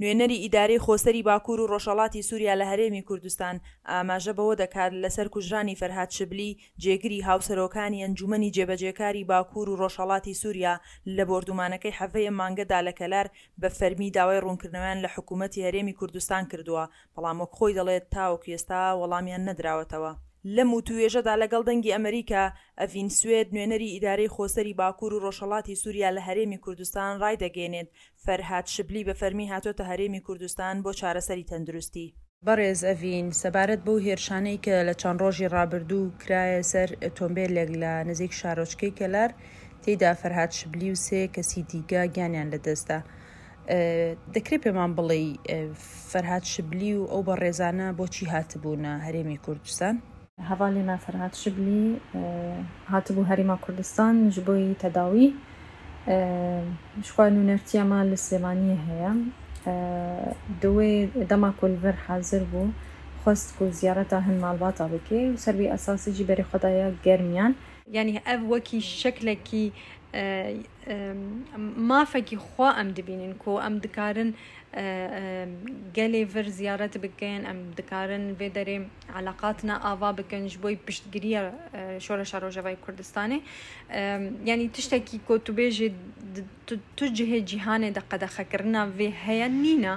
نوێنەری ئیدارەی خۆسەری باکوور و ڕۆژهەڵاتی سووریا لە هەرێمی کوردستان ئاماژە بەوە دەکات، لەسەر کوژرانی فەرهاد شبلی، جێگری هاوسەرۆکانی ئەنجوومەنی جێبەجێکاری باکوور و ڕۆژهەڵاتی سووریا لە بۆردومانەکەی حەڤەی ئەم مانگەدا لە کەلار بە فەرمی داوای ڕوونکردنەوەیان لە حکوومەتی هەرێمی کوردستان کردووە، بەڵام وەک خۆی دەڵێت تاوەکو ئێستا وەڵامیان نەدراوەتەوە. لەم وتووێژەدا لەگەڵ دەنگی ئەمریکا، ئەڤین سوێد، نوێنەری ئیدارەی خۆسەری باکوور و ڕۆژهەڵاتی سووریا لە هەرێمی کوردستان ڕایدەگەیەنێت، فەرهاد شبلی بە فەرمی هاتۆتە هەرێمی کوردستان بۆ چارەسەری تەندروستی. بەڕێز ئەڤین، سەبارەت بەو هێرشانەی کە لە چەند ڕۆژی ڕابردوو کرایە سەر ئۆتۆمبێلێک لە نزیک شارۆچکەی کەلار، تێیدا فەرهاد شبلی و سێ کەسی دیکە گیانیان لەدەستدا، دەکرێت پێمان بڵێی فەرهاد شبلی و ئەو بەڕێزانە بۆچی هاتبوونە هەرێمی کوردستان؟ هەڤاڵی مە فەرهاد شبلی هاتبوو هەرێما کوردستان ji بۆی تەداوی ji xwe nûnertiya me li Silêmaniyê heye. Di wê dema ku li vir hazir bû xwest ku ziyareta hin malbata bike û ser wî esasî jî berê xwe daye Germiyan. Yanî ev wekî şeklekî mafekî xwe em dibînin ku em dikarin gelê vir ziyaret bikin, em dikarin vê derê eleqatine ava bikin ji bo piştgiriya Şoreşa Rojavayê Kurdistanê. Yanî tiştekî ku tu bêjî tu cihê cîhanê de qedexekirina vê heye nîne.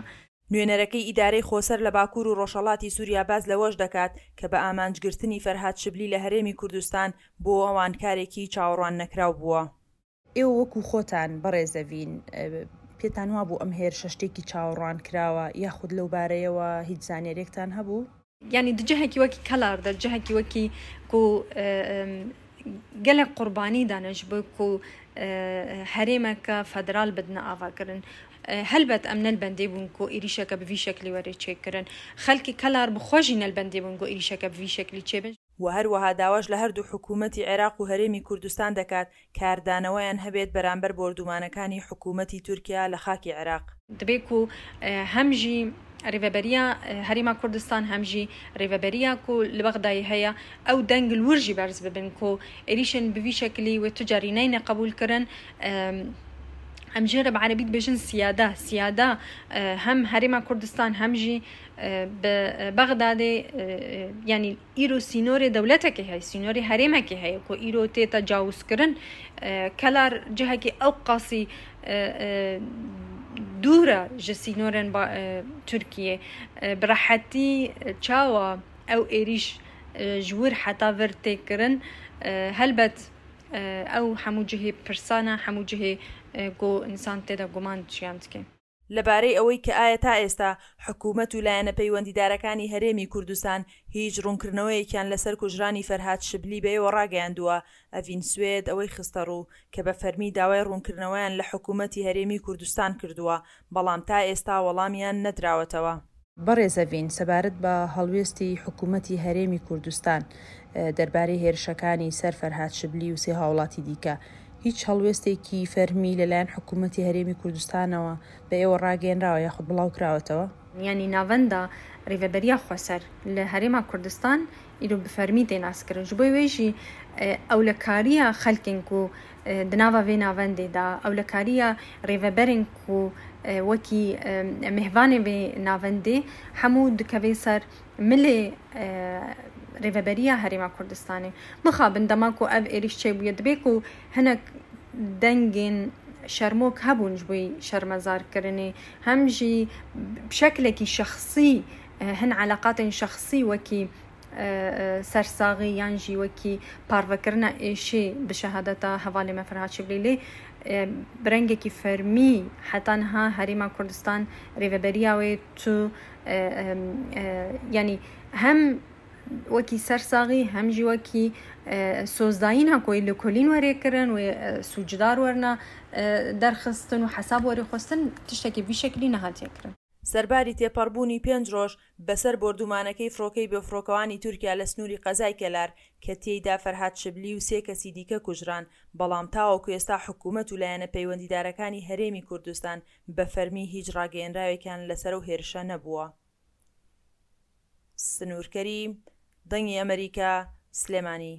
نوێنەرەکەی ئیدارەی خۆسەر لە باکوور و ڕۆژهەڵاتی سووریا باس لەوەش دەکات کە بە ئامانجگرتنی فەرهاد شبلی لە هەرێمی کوردستان بۆ ئەوان کارێکی چاوەڕواننەکراو بووە. ئێوە وەکو خۆتان بەڕێز ئەڤین پێتان وابوو ئەم هێرشە شتێکی چاوەڕوانکراوە یاخود لەو بارەیەوە هیچ زانیاریەکتان هەبوو؟ یانی di cihekî wekî Kelar de, cihekî wekî ku gelek qurbanî dane ji bo ku herêmeke federal bidine avakirin. Helbet em ne li bendê bûn ku êrîşeke bi vî şeklî were çêkirin. Xelkê Kelar bi xwe jî ne li bendê bûn ku êrîşeke bi vî şeklî çêbin. و هەروەها داواش لە هەردوو حکوومەتی عێراق و هەرێمی کوردستان دەکات کاردانەوەیان هەبێت بەرامبەر بۆردوومانەکانی حکوومەتی تورکیا لە خاکی عێراق. دەبێت کو هەم ژی رێڤەبەرییا هەرێما کوردستان هەم ژی رێڤەبەرییا کو li Bexdayê heye ew deng li wir jî berz bibin ku êrîşên bi vî şeklî wê tu carî neyne qebûlkirin. Em jê re bi erebî dibêjin siyada. Siyada hem Herêma Kurdistan hem jî bi Bexdadê yanî îro sînorê dewletekê heye, sînorê herêmekê heye ku îro tê tecawizkirin. Kelar cihekî ew qasî dûr e ji sînorên Tirkiyê. Bi rehetî çawa ew êrîş ji wir heta vir tê kirin helbet ew hemû cihê pirsan e, hemû cihê ku însan tê de guman jiyan dike. لەبارەی ئەوەی کە ئایا تا ئێستا حکومەت و لایەنە پەیوەندیدارەکانی هەرێمی کوردستان هیچ ڕوونکردنەوەیەکیان لەسەر کوژرانی فەرهاد شبلی بە ئێوە ڕاگەیاندووە، ئەڤین سوێد ئەوەی خستەڕوو کە بە فەرمی داوای ڕوونکردنەوەیان لە حکومەتی هەرێمی کوردستان کردووە، بەڵام تا ئێستا وەڵامیان نەدراوەتەوە. بەڕێز ئەڤین، سەبارەت بە هەڵوێستی حکوومەتی هەرێمی کوردستان دەربارەی هێرشەکانی سەر فەرهاد شبلی و سێ هاوڵاتی دیکە، هیچ هەڵوێستێکی فەرمی لەلایەن حکوومەتی هەرێمی کوردستانەوە بە ئێوە ڕاگەیەنراوە یاخود بڵاوکراوەتەوە؟ یانی ناڤەندا رێڤەبەرییا خوەسەر لە هەرێما کوردستان ئیرۆ bi fermî tê naskirin. Ji bo wê jî ewlekariya xelkên ku di nava vê navendê de, ewlekariya rêveberên ku wekî mêvanê vê navendê hemû dikeve ser milê rêveberiya Herêma Kurdistanê. Mixabin dema ku ev êrîş çêbûye dibe ku hinek dengên şermok hebûn ji bo şermezarkirinê hem jî bi şeklekî şexsî hin eleqatên şexsî wekî sersaxî yan jî wekî parvekirina êşê bi şehadeta hevalê me Ferhad Şiblî lê bi rengekî fermî heta niha Herêma Kurdistan rêveberiya wê tu yanî hem wekî sersaxî hem jî wekî sozdayîna ku wê lêkolîn were kirin wê sûcdar werine derxistin û hesab were xwestin tiştekî vî şeklî nehatiye kirin. سەرباری تێپەڕبوونی پێنج ڕۆژ بەسەر بۆردومانەکەی فڕۆکەی بێفڕۆکەوانی تورکیا لە سنووری قەزای کەلار کە تێیدا فەرهاد شبلی و سێ کەسی دیکە کوژران، بەڵام تاوەکو ئێستا حکومەت و لایەنە پەیوەندیدارەکانی هەرێمی کوردستان بە فەرمی هیچ ڕاگەیەنراوێکیان لەسەر ئەو هێرشە نەبووە. سنوور کەریم، دەنگی ئەمەریکا، سلێمانی.